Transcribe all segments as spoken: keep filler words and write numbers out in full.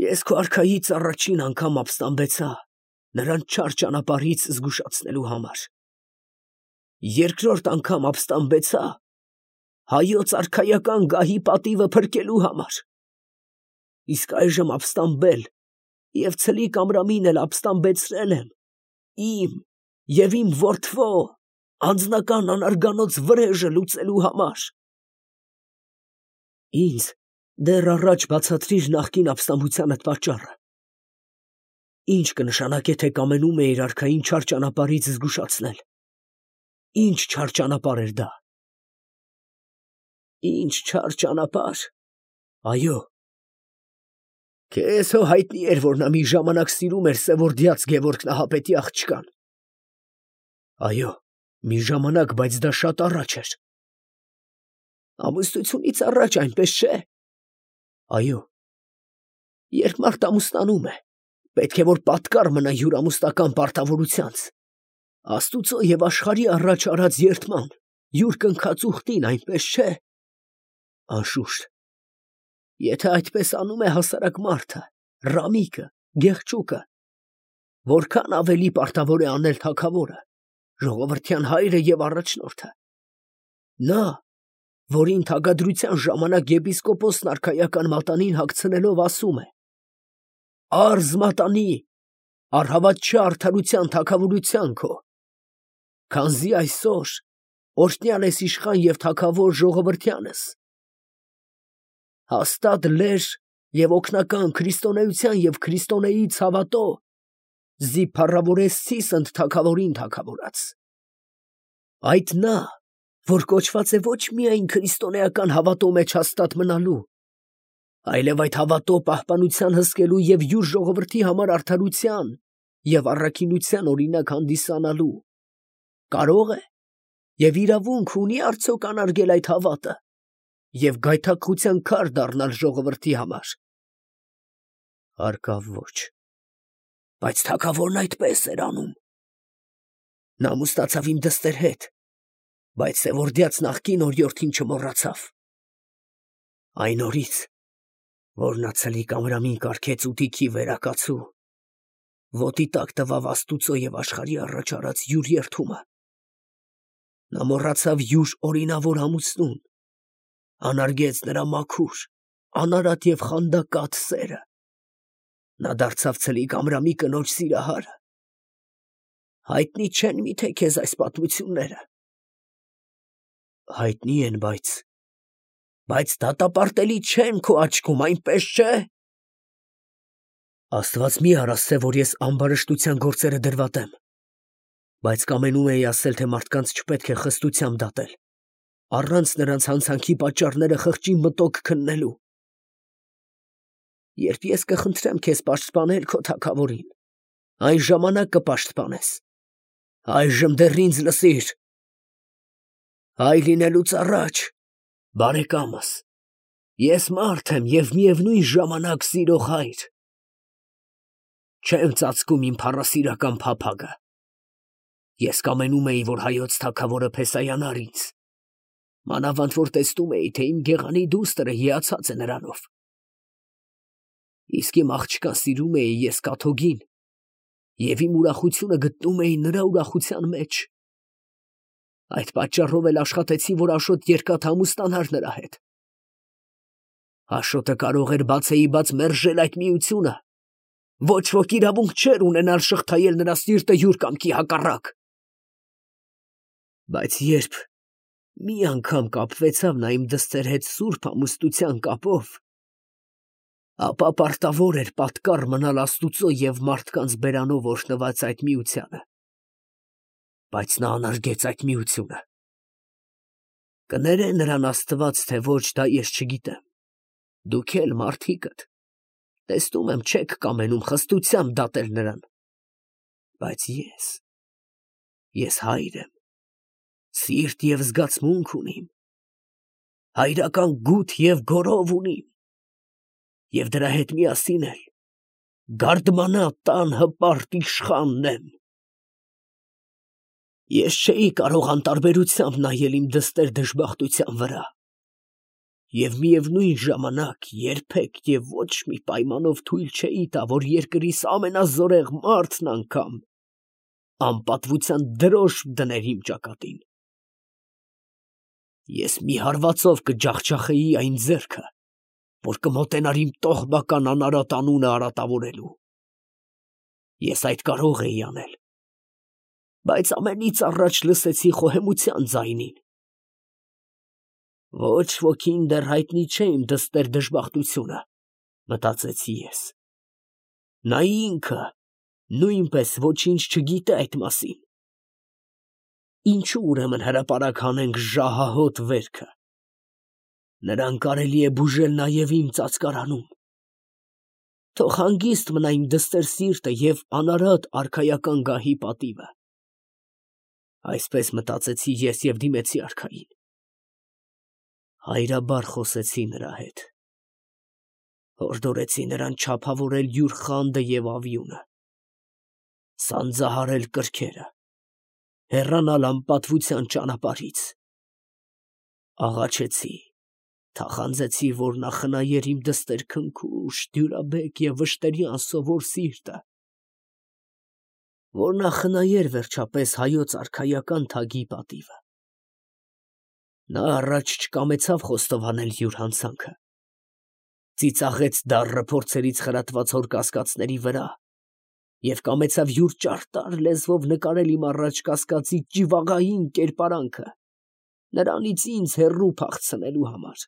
Ես քո արքայից առաջին անգամ ապստամբեցա նրան չար ճանապարհից զգուշացնելու համար. երկրորդ անգամ ապստամբեցա հայոց արքայական գահի պատիվը փրկելու համար. իսկ այժմ ապստամբել և ցլիկ ամրամին էլ ապստամբեցրել եմ իմ և իմ որդվո անձնական անարգանոց վրեժը լուծելու համար։ Ինձ դեռ առաջ բացատրիր նախկին ապստամբությանդ պատճառը. ինչ կնշանակե, թե կամենում էիր արքային չար ճանապարհից զգուշացնել, ինչ չար ճանապարհ էր դա։ Ինչ չար ճանապարհ, այո, քեզ հո հայտնի էր, որ նա մի ժամանակ սիրում էր Սևորդյաց Գևորգ Նահապետի աղջկան։ Այո, մի ժամանակ, բայց դա շատ առաջ էր։ Ամուսնությունից առաջ, այնպես չէ։ Այո, երբ մարդ ամուսնանում է, պետք է որ պատկառ մնա հյուրամուսնական պարտավորությանց, Աստուծո և աշխարհի առաջ արած երդման, յուր կնքած ուխտին, այնպես չէ։ Անշուշտ, եթե այդպես անում է հասարակ մարդը, ռամիկը, գեղչուկը, որքան ավելի պարտավոր է անել թագավորը, ժողովրդյան հայրը և առաջնորդը։ Նա, որին թագադրության ժամանակ եպիսկոպոսն արքայական մատանին հագցնելով ասում է. «Արզ մատանի, առհավատ չէ արդարության թագավորության քո, քանզի այսօր օրհնյալ ես իշխան և թագավոր ժողովրդյանս»։ Հաստատ լեր և օգնական քրիստոնեության և քրիստոնեի ցավատո զի փառավորեցիս ընդ թագավորին թագավորած։ Այդ նա, որ կոչված է ոչ միայն քրիստոնեական հավատո մեջ հաստատ մնալու, այլև այդ հավատո պահպանության հսկելու և յուր ժողովրդի համար արդարության և առաքինության օրինակ հանդիսանալու, կարո՞ղ է և իրավունք ունի արդյոք անարգել այդ հավատը և գայթակղության քար դառնալ ժողովրդի համար։ Հարկավ ոչ, բայց թագավորն այդպես էր անում։ Նա ամուսնացավ իմ դստեր հետ, բայց Սևորդյաց նախկին օրիորդին չմոռացավ։ Այն օրից, որ նա ցլիկ ամրամին կարգեց ուտիքի վերակացու, ոտի տակ տվավ Աստուծո և աշխարհի առաջ արած յուր երդումը, նա մոռացավ յուր օրինավոր ամուսնուն, անարգեց նրա մաքուր, անարատ և խանդակատ սերը, նա դարձավ ցլիկ Ամրամի կնոջ սիրահարը։ Հայտնի չե՞ն միթե քեզ այս պատմությունները։ Հայտնի են, բայց… բայց դատապարտելի չեն քո աչքում, այնպես չէ։ Աստված մի արասցե, որ ես ամբարշտության գործերը դրվատեմ, բայց կամենում էի ասել, թե մարդկանց չպետք է խստությամբ դատել, առանց նրանց հանցանքի պատճառները խղճի մտոք քննելու։ Երբ ես կխնդրեմ քեզ պաշտպանել քո թագավորին, այն ժամանակ կպաշտպանես, այժմ դեռ ինձ լսիր։ Հայ լինելուց առաջ, բարեկամս, ես մարդ եմ և միևնույն ժամանակ սիրող հայր։ Չեմ ծածկում իմ փառասիրական փափագը։ Ես կամենում էի, որ հայոց թագավորը փեսայանար ինձ, մանավանդ որ տեսնում էի, թե իմ գեղանի դուստրը հիացած է նրանով։ Իսկ իմ աղջկան սիրում էի ես կաթոկին, և իմ ուրախությունը գտնում էի նրա ուրախության մեջ։ Այդ պատճառով էլ աշխատեցի, որ Աշոտ երկաթ ամուսնանար նրա հետ։ Աշոտը կարող էր բացեիբաց մերժել այդ միությունը, ոչ ոք իրավունք չէր ունենալ շղթայել նրա սիրտը յուր կամքի հակառակ։ Բայց երբ մի անգամ կապվեցավ նա իմ դստեր հետ սուրբ ամուսնության կապով, ապա պարտավոր էր պատկառ մնալ Աստուծո և մարդկանց բերանով օրհնված այդ միությանը։ Բայց նա անարգեց այդ միությունը։ Կներե նրան Աստված, թե ոչ, դա ես չգիտեմ։ Դուք էլ, մարդիկդ, տեսնում եմ, չեք կամենում խստությամբ դատել նրան։ Բայց ես… ես հայր եմ, սիրտ և զգացմունք ունիմ, հայրական գութ և գոռով ունիմ, և դրա հետ միասին էլ գարդմանա տան հպարտ իշխանն եմ։ Ես չէի կարող անտարբերությամբ նայել իմ դստեր դժբախտության վրա, Եվ միևնույն ժամանակ երբեք և ոչ մի պայմանով թույլ չէի տա, որ երկրիս ամենազորեղ մարդն անգամ անպատվության դրոշ դներ իմ ճակատին։ Ես մի հարվածով կջախջախեի այն ձեռքը, որ կմոտենար իմ տողբական անարատ անունը արատավորելու։ Ես այդ կարող էի անել, բայց ամենից առաջ լսեցի խոհեմության ձայնին։ Ոչ ոքին դեռ հայտնի չէ իմ դստեր դժբախտությունը, մտածեցի ես։ Նա ինքը նույնպես ոչինչ չգիտե այդ մասին։ Ինչու ուրեմն հրապարակ հանենք ժահահոտ վերքը։ Նրան կարելի է բուժել նաև իմ ծածկարանում։ Թող հանգիստ մնա իմ դստեր սիրտը և անարատ արքայական գահի պատիվը։ Այսպես մտածեցի ես և դիմեցի արքային։ Հայրաբար խոսեցի նրա հետ։ Հորդորեցի նրան չափավորել յուր խանդը և ավյունը, սանձահարել կրքերը, հեռանալ անպատվության ճանապարհից։ Աղաչեցի, թախանձեցի, որ նա խնայեր իմ դստեր քնքուշ, դյուրաբեկ և վշտերյան սովոր սիրտը, որ նա խնայեր վերջապես հայոց արքայական թագի պատիվը։ Նա առաջ չկամեցավ խոստովանել յուր հանցանքը, ծիծաղեց դառը փորձերից խրատված հոր կասկածների վրա և կամեցավ յուր ճարտար լեզվով նկարել իմ առաջ կասկածի ճիվաղային կերպարանքը, նրանից ինձ հեռու փախցնելու համար։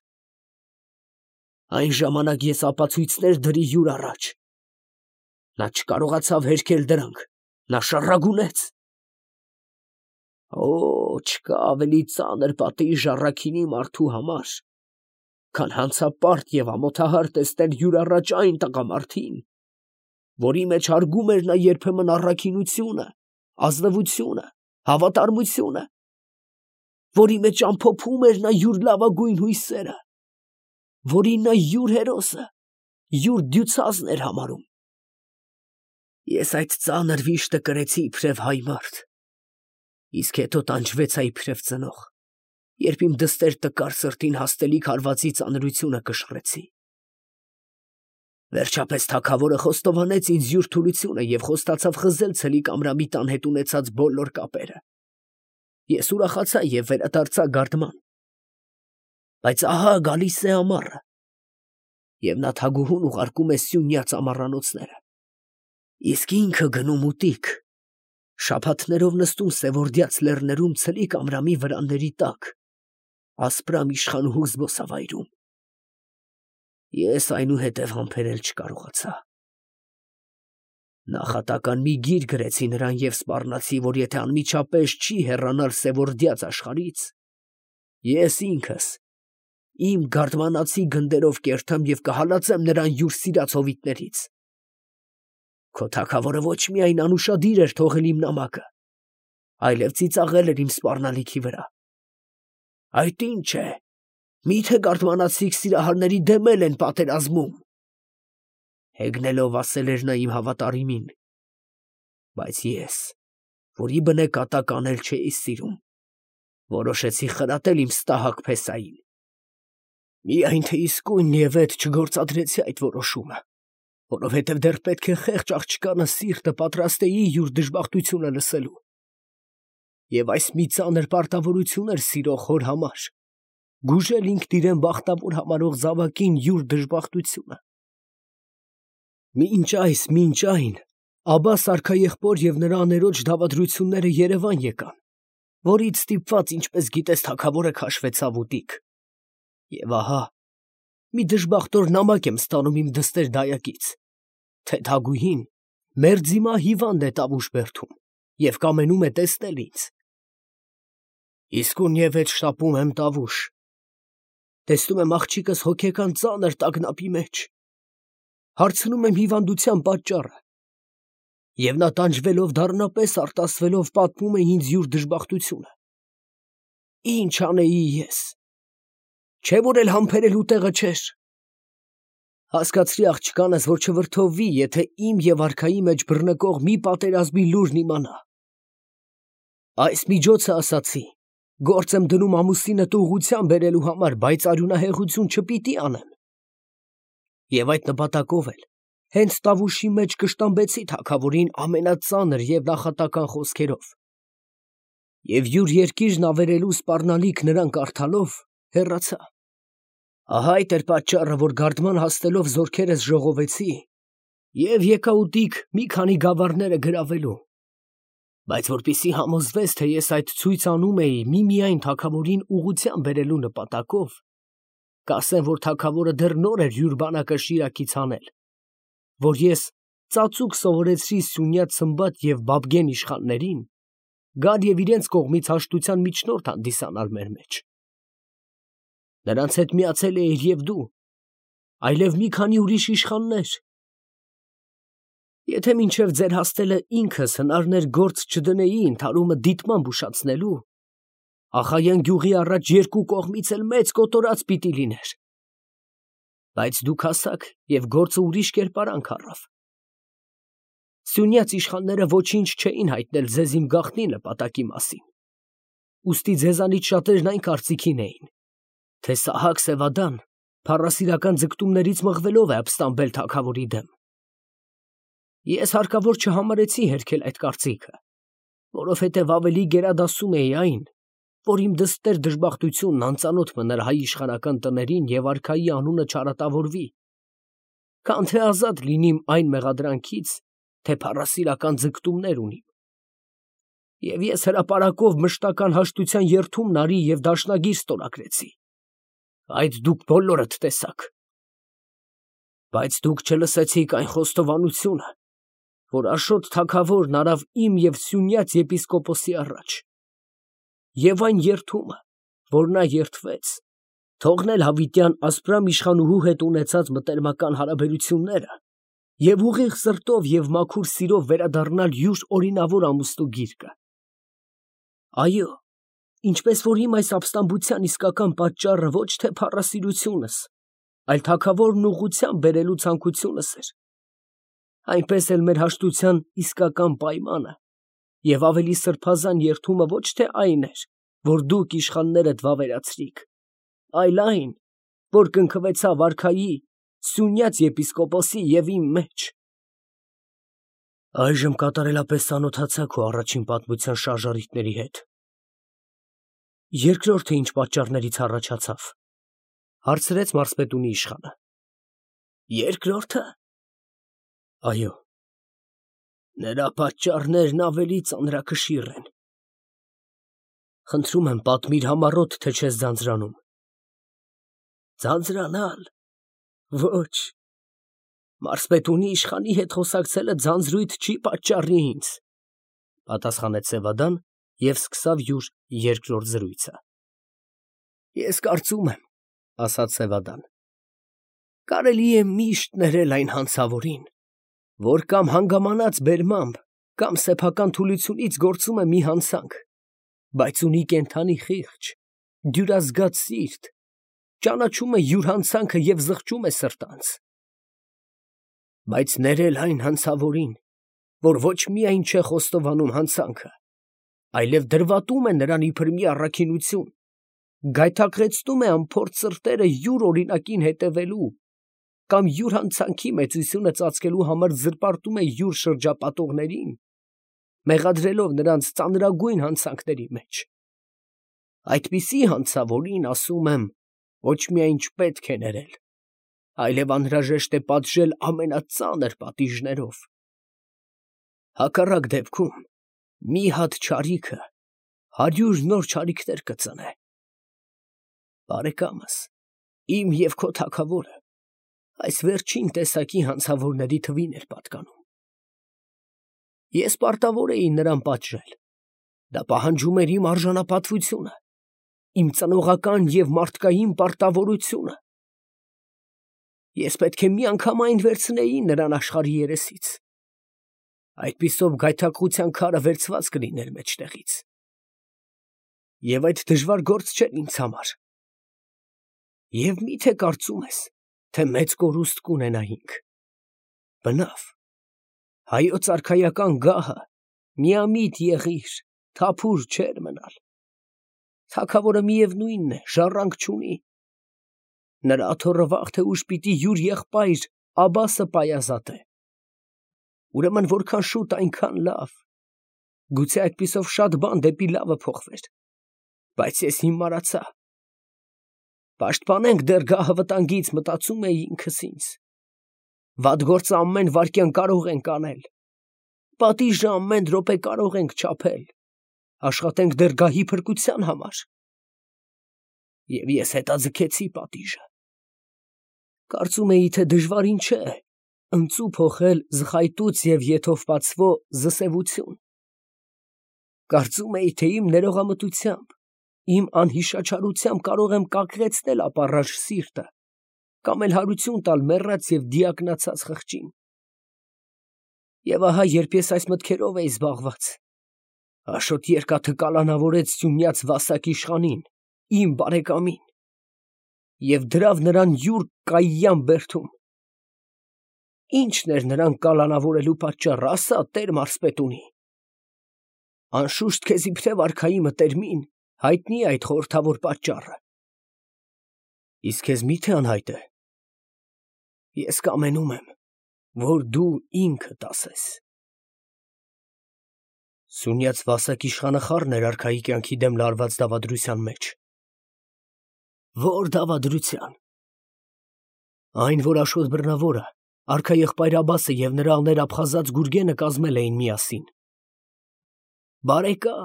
Այն ժամանակ ես ապացույցներ դրի յուր առաջ։ Նա չկարողացավ հերքել դրանք, նա շառագունեց։ Օ, չկա ավելի ծանր պատիժ առաքինի մարդու համար, քան հանցապարտ և ամոթահար տեսնել յուր առաջ այն տղամարդին, որի մեջ հարգում էր նա երբեմն առաքինությունը, ազնվությունը, հավատարմությունը, որի մեջ ամփոփում էր նա յուր լավագույն հույսերը, որին նա յուր հերոսը, յուր դյուցածն էր համարում։ Ես այդ ծանր վիշտը կրեցի իբրև հայ մարդ, իսկ հետո տանջվեցա իբրև ծնող, երբ իմ դստեր տկար սրտին հաստելիք հարվածի ծանրությունը կշռեցի։ Վերջապես թագավորը խոստովանեց ինձ յուր թուլությունը և խոստացավ խզել ցլիկ Ամրամի տան հետ ունեցած բոլոր կապերը։ Ես ուրախացա և վերադարձա գարդման։ Բայց ահա գալիս է ամառը, և նա թագուհուն ուղարկում է սյունյաց ամառանոցները, իսկ ինքը գնում ուտիկ, շաբաթներով նստում սևորդյաց լեռներում ցլիկ Ամրամի վրանների տակ, ասպրամ իշխանուհու զբոսավայրում։ Ես այնուհետև համբերել չկարողացա։ Նախատական մի գիր գրեցի նրան և սպառնացի, որ եթե անմիջապես չի հեռանալ սևորդյաց աշխարհից, ես ինքս իմ գարդմանացի գնդերով կերտեմ և կհալածեմ նրան յուր սիրած հովիտներից։ Քո թագավորը ոչ միայն անուշադիր էր թողել իմ նամակը, այլև ծիծաղել էր իմ սպառնալիքի վրա։ Այդ ի՞նչ է, մի՞թե գարդմանացիք սիրահարների դեմ էլ են պատերազմում։ Հեգնելով ասել էր նա իմ հավատարիմին, բայց ես, որի բնե կատակ անել չէի սիրում, որոշեցի խրատել իմ ստահակ փեսային։ Միայն թե իսկույնևեթ չգործադրեցի այդ որոշումը, որովհետև դեռ պետք է խեղճ աղջկանը սիրտը պատրաստեի յուր դժբախտությունը լսելու։ Եվ այս մի ծանր պարտավորություն էր սիրող հոր համար, գուժել ինքն իրեն բախտավոր համարող զավակին յուր դժբախտությունը։ Մինչ այս, մինչ այն, Աբբաս արքաեղբոր և նրա աներոջ դավադրությունները Երևան եկան, որից ստիպված, ինչպես գիտես, թագավորը քաշվեցավ ուտիկ։ Եվ ահա մի դժբախտոր նամակ եմ ստանում իմ դստեր դայակից, թե թագուհին մերձիմա հիվանդ է Տավուշ բերդում և կամենում է տեսնել ինձ։ Իսկույնևեթ շտապում եմ Տավուշ, տեսնում եմ աղջիկս հոգեկան ծանր տագնապի մեջ, հարցնում եմ հիվանդության պատճառը, և նա տանջվելով դառնապես արտասվելով պատմում է ինձ յուր դժբախտությունը։ Ի՞նչ անեի ես, չէ՞ որ էլ համբերելու տեղը չէր։ Հասկացրի աղջկանս, որ չվրդովվի, եթե իմ և արքայի մեջ բռնկող մի պատերազմի լուրն իմանա։ Այս միջոցը ասացի, Գործ եմ դնում ամուսինդ ուղղության բերելու համար, բայց արյունահեղություն չպիտի անեմ։ Եվ այդ նպատակով էլ հենց Տավուշի մեջ կշտամբեցի թագավորին ամենածանր և նախատական խոսքերով։ Եվ յուր երկիրն ավերելու սպառնալիք նրան կարդալով հեռացա։ Ահա այդ էր պատճառը, որ գարդման հասնելով զորքերս ժողովեցի և եկա ուտիկ մի քանի գավառները գրավելու։ Բայց որպեսզի համոզվես, թե ես այդ ցույց անում էի միմիայն թագավորին ուղղության բերելու նպատակով, կասեմ, որ թագավորը դեռ նոր էր յուր բանակը Շիրակից հանել, որ ես ծածուկ սովորեցրի Սյունյաց Սմբատ և Բաբգեն իշխաններին գալ և իրենց կողմից հաշտության միջնորդ հանդիսանալ մեր մեջ։ Նրանց հետ միացել էիր և դու, այլև մի քանի ուրիշ իշխաններ։ Եթե մինչև ձեր հասնելը ինքս հնարներ գործ չդնեի ընդհարումը դիտմամբ ուշացնելու, Ախայան գյուղի առաջ երկու կողմից էլ մեծ կոտորած պիտի լիներ։ Բայց դուք հասաք և գործը ուրիշ կերպարանք առավ։ Սյունյաց իշխանները ոչինչ չէին հայտնել ձեզ իմ գաղտնի նպատակի մասին, ուստի ձեզանից շատերն այն կարծիքին էին, թե Սահակ Սևադան փառասիրական ձգտումներից մղվելով է ապստամբել թագավորի դեմ։ Ես հարկավոր չհամարեցի հերքել այդ կարծիքը, որովհետև ավելի գերադասում էի այն, որ իմ դստեր դժբախտությունն անծանոթ մներ հայ իշխանական տներին և արքայի անունը չարատավորվի, քան թե ազատ լինիմ այն մեղադրանքից, թե փառասիրական ձգտումներ ունիմ։ Եվ ես հրապարակով մշտական հաշտության երդումն արի և դաշնագիր ստորագրեցի։ Այդ դուք բոլորդ տեսաք։ Բայց դուք չլսեցիք այն խոստովանությունը, որ Աշոտ թագավորն արավ իմ և Սյունյաց եպիսկոպոսի առաջ, և այն երդումը, որ նա երդվեց, թողնել հավիտյան Ասպրամ իշխանուհու հետ ունեցած մտերմական հարաբերությունները և ուղիղ սրտով և մաքուր սիրով վերադառնալ յուր օրինավոր ամուսնու գիրկը։ Այո, ինչպես որ իմ այս ապստամբության իսկական պատճառը ոչ թե փառասիրությունս, այլ թագավորն ուղղությամբ բերելու ցանկությունս էր, այնպես էլ մեր հաշտության իսկական պայմանը և ավելի սրբազան երդումը ոչ թե այն էր, որ դուք իշխաններդ վավերացրիք, այլ այն, որ կնքվեցավ արքայի, Սյունյաց եպիսկոպոսի և իմ մեջ։ Այժմ կատարելապես ծանոթացա քո առաջին պատմության շարժառիթների հետ։ Երկրորդը ինչ պատճառներից առաջացավ, հարցրեց մարզպետունի իշխանը։ Երկրորդը։ Այո։ Նրա պատճառներն ավելի ծանրակշիռ են։ Խնդրում եմ, պատմիր համառոտ, թե չես ձանձրանում։ Ձանձրանալ։ Ոչ։ Մարզպետունի իշխանի հետ խոսակցելը ձանձրույթ չի պատճառի ինձ, պատասխանեց Սևադան և սկսավ յուր երկրորդ զրույցը։ Ես կարծում եմ, ասաց Սևադան, կարելի է միշտ ներել այն հանցավորին, որ կամ հանգամանած բերմամբ, կամ սեփական թուլությունից գործում է մի հանցանք, բայց ունի կենդանի խիղճ, դյուրազգաց սիրտ, ճանաչում է յուր հանցանքը և զղջում է սրտանց։ Բայց ներել այն հանցավորին, որ ոչ միայն չէ խոստովանում հանցանքը, այլև դրվատում է նրան իբր մի առաքինություն, գայթակղեցնում է անփորձ սրտերը յուր օրինակին հետևելու, կամ յուր հանցանքի մեծությունը ծածկելու համար զրպարտում է յուր շրջապատողներին, մեղադրելով նրանց ծանրագույն հանցանքների մեջ։ Այդպիսի հանցավորին, ասում եմ, ոչ միայն չպետք է ներել, այլև անհրաժեշտ է պատժել ամենածանր պատիժներով։ Հակառակ դեպքում մի հատ չարիքը հարյուր նոր չարիքներ կծնե։ Բարեկամս, իմ և քո թագավորը այս վերջին տեսակի հանցավորների թվին էր պատկանում։ Ես պարտավոր էի նրան պատժել, դա պահանջում էր իմ արժանապատվությունը, իմ ծնողական և մարդկային պարտավորությունը։ Ես պետք է միանգամայն վերցնեի նրան աշխարհի երեսից, այդպիսով գայթակղության քարը վերցված կլիներ մեջտեղից։ Եվ այդ դժվար գործ չէր ինձ համար։ Եվ մի՞թե կարծում ես, թե մեծ կորուստ կունենայինք։ Բնավ, հայոց արքայական գահը միամիտ եղիր, թափուր չէր մնալ։ Թագավորը միևնույնն է, ժառանգ չունի։ Նրա աթոռը վաղ թե ուշ պիտի յուր եղբայր Աբասը պայազատե։ Ուրեմն որքան շուտ այնքան լավ։ Գուցե այդպիսով շատ բան դեպի լավը փոխվեր, բայց ես հիմարացա։ Պաշտպանենք դեռ գահը վտանգից, մտածում էի ինքս ինձ։ Վատ գործը ամեն վայրկյան կարող ենք անել, պատիժը ամեն րոպե կարող ենք չափել, աշխատենք դեռ գահի փրկության համար։ Եվ ես հետաձգեցի պատիժը։ Կարծում էի, թե դժվարին չէ ընծու փոխել զխայտուց և եթովպացվո զսևություն։ Կարծում էի, թե իմ ներողամտությամբ, իմ անհիշաչարությամբ կարող եմ կակղեցնել ապառաժ սիրտը կամ էլ հարություն տալ մեռած և դիակնացած խղճին։ Եվ ահա, երբ ես այս մտքերով էի զբաղված, Աշոտ երկաթը կալանավորեց սյունյաց Վասակ իշխանին, իմ բարեկամին, և դրավ նրան յուր կայյան բերդում։ Ի՞նչն էր նրան կալանավորելու պատճառը, ասա, տեր մարզպետունի։ Անշուշտ քեզ իբրև արքայի մտերմին հայտնի է այդ խորհրդավոր պատճառը։ Իսկ քեզ մի՞թե անհայտ է։ Ես կամենում եմ, որ դու ինքդ ասես։ Սյունյաց Վասակ իշխանը խառն էր արքայի կյանքի դեմ լարված դավադրության մեջ։ Ո՞ր դավադրության։ Այն, որ Աշոտ Բռնավորը, արքաեղբայր Աբասը և նրա աներապխազած Գուրգենը կազմել էին միասին։ Բարեկա,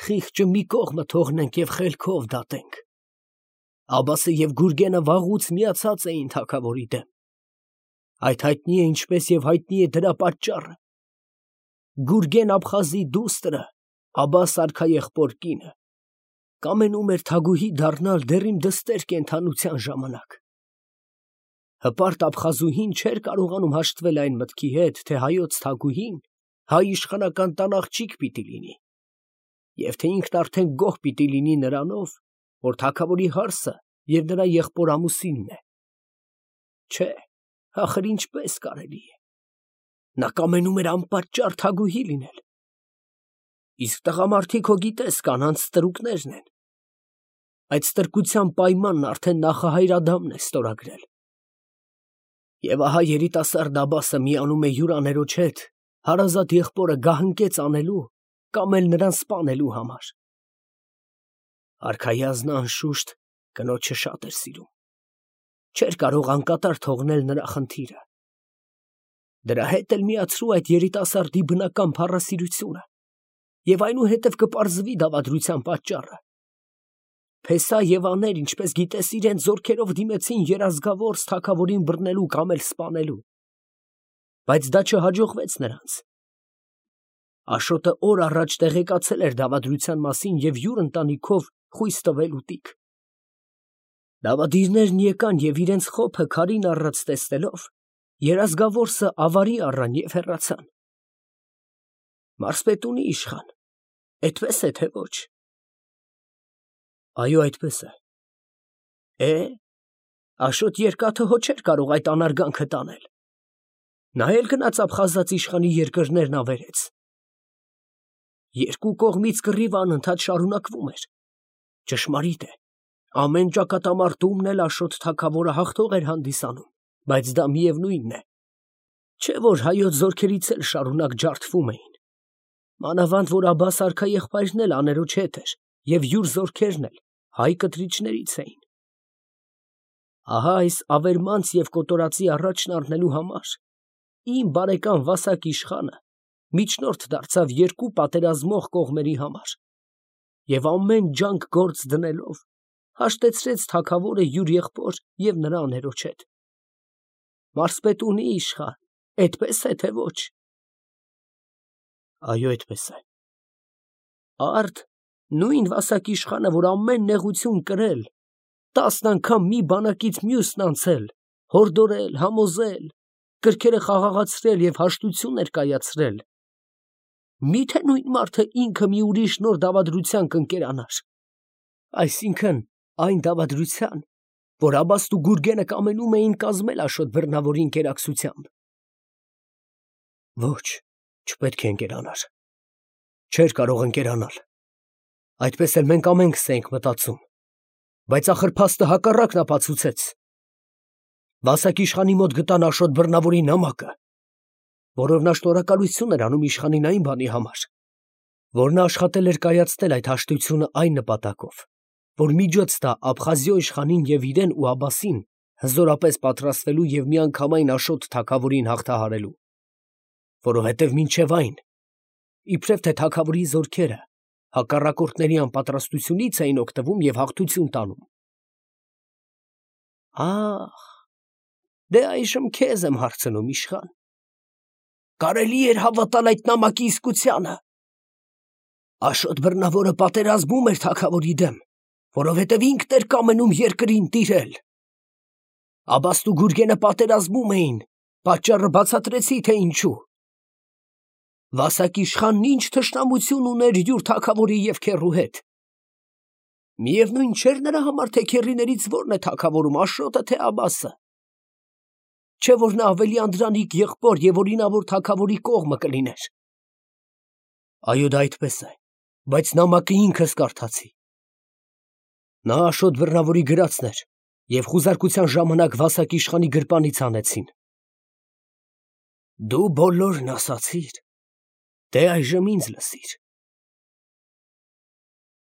խիղճը մի կողմը թողնենք և խելքով դատենք։ Աբասը և Գուրգենը վաղուց միացած էին թագավորի դեմ։ Այդ հայտնի է, ինչպես և հայտնի է դրա պատճառը։ Գուրգեն Աբխազի դուստրը, Աբաս արքաեղբոր կինը, կամենում էր թագուհի դառնալ դեռ իմ դստեր կենդանության ժամանակ։ Հպարտ Աբխազուհին չէր կարողանում հաշտվել այն մտքի հետ, թե հայոց թագուհին հայ իշխանական տան աղջիկ պիտի լինի, և թե ինքն արդեն գոհ պիտի լինի նրանով, որ թագավորի հարսը և նրա եղբոր ամուսինն է։ Չէ, ախր ինչպես կարելի է։ Նա կամենում էր անպատճառ թագուհի լինել։ Իսկ տղամարդիկ, հո գիտես, կանանց ստրուկներն են։ Այդ ստրկության պայմանն արդեն նախահայր Ադամն է ստորագրել։ Եվ ահա երիտասարդ Աբասը միանում է յուր աներոջ հետ հարազատ եղբորը գահընկեց անելու կամ էլ նրան սպանելու համար։ Արքայազնը անշուշտ կնոջը շատ էր սիրում, չէր կարող անկատար թողնել նրա խնդիրը։ Դրա հետ էլ միացրու այդ երիտասարդի բնական փառասիրությունը, և այնուհետև կպարզվի դավադրության պատճառը։ Փեսա և աներ, ինչպես գիտես, իրենց զորքերով դիմեցին երազգավորս թագավորին բռնելու կամ էլ սպանելու, բայց դա չհաջողվեց նրանց։ Աշոտը օր առաջ տեղեկացել էր դավադրության մասին և յուր ընտանիքով խույս տվել ուտիկ։ Դավադիրներն եկան և իրենց խոփը քարին առած տեսնելով, երազգավորսը ավարի առան և հեռացան։ Մարզպետունի իշխան, էդպես է, թե ոչ։ Այո, այդպես է։ Է, Աշոտ երկաթը հո չէր կարող այդ անարգանքը տանել։ Նա էլ գնաց Աբխազած իշխանի երկրներն ավերեց։ Երկու կողմից կռիվը անընդհատ շարունակվում էր։ Ճշմարիտ է, ամեն ճակատամարտումն էլ Աշոտ թագավորը հաղթող էր հանդիսանում, բայց դա միևնույնն է, չէ որ հայոց զորքերից էլ շարունակ ջարդվում էին։ Մանավանդ որ Աբաս արքաեղբայրն էլ աներոջ հետ էր, և յուր զորքերն էլ հայ կտրիչներից էին։ Ահա այս ավերմանց և կոտորածի առաջն առնելու համար իմ բարեկամ Վասակ իշխանը միջնորդ դարձավ երկու պատերազմող կողմերի համար և ամեն ջանք գործ դնելով հաշտեցրեց թագավորը յուր եղբոր և նրա աներոջ հետ։ Մարզպետունի իշխան, էդպես է, թե ոչ։ Այո, այդպես է։ Արդ նույն Վասակ իշխանը, որ ամեն նեղություն կրել, տասն անգամ մի բանակից մյուսն անցել, հորդորել, համոզել, կրքերը խաղաղացրել և հաշտություններ կայացրել, մի՞թե նույն մարդը ինքը մի ուրիշ նոր դավադրության կընկերանար, այսինքն այն դավադրության, որ Աբասն ու Գուրգենը կամենում էին կազմել Աշոտ Բռնավորի ընկերակցությամբ։ Ոչ, չպետք է ընկերանար, չէր կարող ընկերանալ։ Այդպես էլ մենք ամենքս էինք մտածում, բայց ախր փաստը հակառակն ապացուցեց։ Վասակ իշխանի մոտ գտան Աշոտ Բռնավորի նամակը, որով նա շնորհակալություն էր անում իշխանին այն բանի համար, որ նա աշխատել էր կայացնել այդ հաշտությունը այն նպատակով, որ միջոց տա Աբխազիո իշխանին և իրեն ու Աբբասին հզորապես պատրաստվելու և միանգամայն Աշոտ թագավորին հաղթահարելու, որովհետև մինչև այն, իբրև թե թագավորի զորքերը հակառակորդների անպատրաստությունից էին օգտվում և հաղթություն տանում։ Ա՜խ, դե այժմ քեզ եմ հարցնում, իշխան, կարելի էր հավատալ այդ նամակի իսկությանը։ Աշոտ Բռնավորը պատերազմում էր թագավորի դեմ, որովհետև ինքն էր կամենում երկրին տիրել։ Աբբասն ու Գուրգենը պատերազմում էին, պատճառը բացատրեցի, թե ինչու։ Վասակ իշխանն ինչ թշնամություն ուներ յուր թագավորի և քեռու հետ։ Միևնույն չէր նրա համար, թե քեռիներից որն է թագավորում, Աշոտը, թե Աբբասը։ Չէ՞ որ նա ավելի անդրանիկ եղբոր և օրինավոր թագավորի կողմը կլիներ։ Այո, դա այդպես է, բայց նամակը ինքս կարդացի։ Նա Աշոտ Բռնավորի գրածն էր և խուզարկության ժամանակ Վասակ իշխանի գրպանից հանեցին։ Դու բոլորն ասացիր, դե այժմ ինձ լսիր։